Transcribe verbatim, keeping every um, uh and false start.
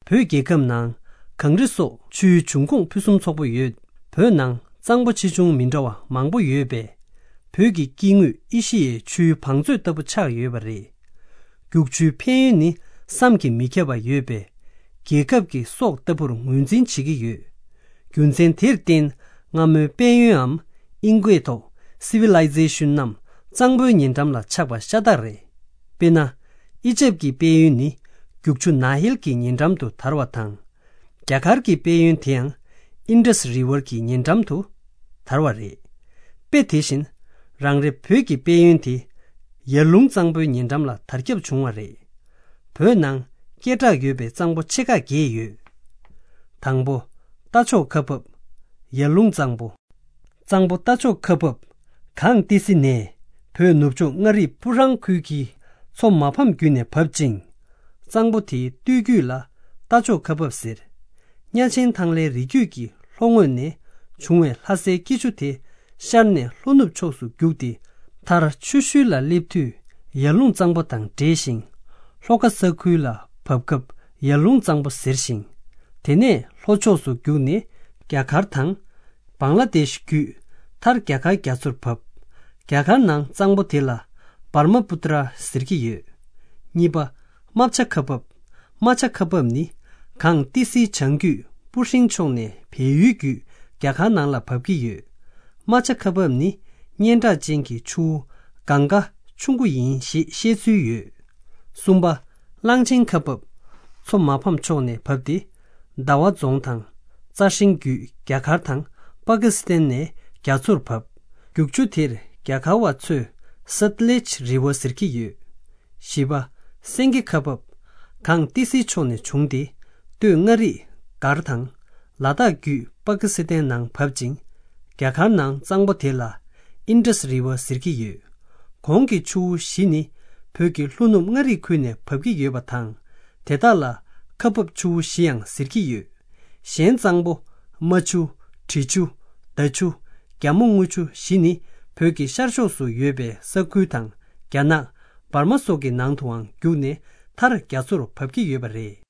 བོད་རྒྱལ་ཁབ་ནང་གངས་རི་སོགས་ཆུའི་འབྱུང་ཁུངས་ཕུན་སུམ་ཚོགས་པོ་ཡོད། བོད་ནང་གཙང་པོ་ཆེ་ཆུང་མི་འདྲ་བ་མང་པོ་ཡོད་པས། བོད་ཀྱི་སྐྱེ་དངོས་ཨེ་ཤི་ཡའི་ཆུའི་བང་མཛོད་ལྟ་བུ་ཆགས་ཡོད་པ་རེད། རྒྱུག་ཆུའི་ཕན་ཡོན་ནི་བསམ་གྱིས་མི་ཁྱབ་པ་ཡོད་པས། རྒྱལ་ཁབ་ཀྱི་སྲོག་ལྟ་བུར་ངོས་འཛིན་བྱེད་ཀྱི་ཡོད། རྒྱུ་མཚན་དེར་བརྟེན། སྔ་མོའི་དཔལ་ཡོན་འམ་ཨིན་སྐད་ཐོག་Civilization རྣམས་གཙང་པོའི་ཉེ་འགྲམ་ལ་ཆགས་པ་ཤ་སྟག་རེད། དཔེར་ན། ཨི་ཇེབ་ཀྱི་དཔལ་ཡོན་ནི་རྒྱུག་ཆུ་ནཱ་ཧིལ་གྱི་ཉེ་འགྲམ་དུ་དར་བ་དང་། རྒྱ་གར་གྱི་དཔལ་ཡོན་དེའང་Indus River གྱི་ཉེ་འགྲམ་དུ་དར་བ་རེད། དཔེ་དེ་བཞིན། རང་རེ་བོད་ཀྱི་དཔལ་ཡོན་དེ་ཡར་ཀླུང་གཙང་པོའི་ཉེ་འགྲམ་ལ་དར་ཁྱབ་བྱུང་བ་རེད། བོད་ནང་སྐད་གྲགས་ཡོད་པའི་གཙང་པོ་ཆེ་ཁག་བརྒྱད་ཡོད། དང་པོ། རྟ་མཆོག་ཁ་འབབ། ཡར་ཀླུང་གཙང་པོ། གཙང་པོ་རྟ་མཆོག་ཁ་འབབ། གངས་ཏི་སེ་ནས་བོད་ནུབ་ཕྱོགས་མངའ་རིས་སྤུ་ཧྲང་ཁུལ་གྱི་མཚོ་མ་ཕམ་བརྒྱུད་ནས་བབ་ཅིང་། གཙང་པོ་དེའི་སྟོད་རྒྱུད་ལ་རྟ་མཆོག་ཁ་འབབ་ཟེར། གཉའ་ཆེན་ཐང་ལའི་རི་རྒྱུད་ཀྱི་ལྷོ་ངོས་ནས་བྱུང་བའི་ལྷ་སའི་སྐྱིད་ཆུ་དེ་ཤར་ནས་ལྷོ་ནུབ་ཕྱོགས་སུ་རྒྱུག་སྟེ། མཐར་ཆུ་ཤུལ་ལ་སླེབས་དུས་ཡར་ཀླུང་གཙང་པོ་དང་འདྲེས་ཤིང་། ལྷོ་ཁ་ས་ཁུལ་ལ་བབས་སྐབས་ཡར་ཀླུང་གཙང་པོ་ཟེར་ཞིང་། དེ་ནས་ལྷོ་ཕྱོགས་སུ་རྒྱུག་ནས་རྒྱ་གར་དང་། བང་ལ་དེཤ་བརྒྱུད། མཐར་རྒྱ་གར་རྒྱ་མཚོར་བབས། རྒྱ་གར་ནང་གཙང་པོ་དེ་ལ་བར་མ་པུ་ཏྲ་ཟེར་གྱི་ཡོད། གཉིས་པ། རྨ་བྱ་ཁ་འབབ། རྨ་བྱ་ཁ་འབབ་ནི་གངས་ཏི་སེའི་བྱང་རྒྱུད་སྤུ་ཧྲེང་ཕྱོགས་ནས་བལ་ཡུལ་བརྒྱུད་རྒྱ་གར་ནང་ལ་བབས་ཀྱི་ཡོད། རྨ་བྱ་ཁ་འབབ་ནི་སྙན་གྲགས་ཅན་གྱི་ཆུ་བོ་གངྒཱ་ཆུང་ཀུ་ཡིན་ཞེས་བཤད་ཚུལ་ཡོད། གསུམ་པ། གླང་ཆེན་ཁ་འབབ། མཚོ་མ་ཕམ་ཕྱོགས་ནས་བབས་ཏེ། ཟླ་བ་རྫོང་དང་། རྩྭ་ཧྲེང་བརྒྱུད་རྒྱ་གར་དང་པ་ཀི་སི་ཐན་ནས་རྒྱ་མཚོར་བབས། རྒྱུག་ཆུ་དེར་རྒྱ་གར་བ་ཚོས་Satluj River ཟེར་གྱི་ཡོད། བཞི་པ། སེང་གེ་ཁ་འབབ། གངས་ཏི་སེའི་ཕྱོགས་ནས་བྱུང་སྟེ། སྟོད་མངའ་རིས་སྒར་དང་ལ་དྭགས་བརྒྱུད་པ་ཀི་སི་ཐན་ནང་བབས་ཅིང་། རྒྱ་གར་ནང་གཙང་པོ་དེ་ལ་Indus River ཟེར་གྱི་ཡོད། གོང་གི་ཆུ་བོ་བཞི་ནི་བོད་ཀྱི་ལྷོ་ནུབ་མངའ་རིས་ཁུལ་ནས་བབས་ཀྱི་ཡོད་པ་དང་། དེ་དག་ལ་ཁ་འབབ་ཆུ་བོ་བཞི་ཡང་ཟེར་གྱི་ཡོད། གཞན་གཙང་པོ། རྨ་ཆུ། དྲི་ཆུ། མདའ་ཆུ། རྒྱ་མོ་རྔུལ་ཆུ་བཞི་ནི་བོད་ཀྱི་ཤར་ཕྱོགས་སུ་ཡོད་པའི་ས་ཁུལ་དང་རྒྱ་ནག་འབར་མ་སོགས་ཀྱི་ནང་དུའང་རྒྱུག་ནས་མཐར་རྒྱ་མཚོར་བབས་ཀྱི་ཡོད་པ་རེད།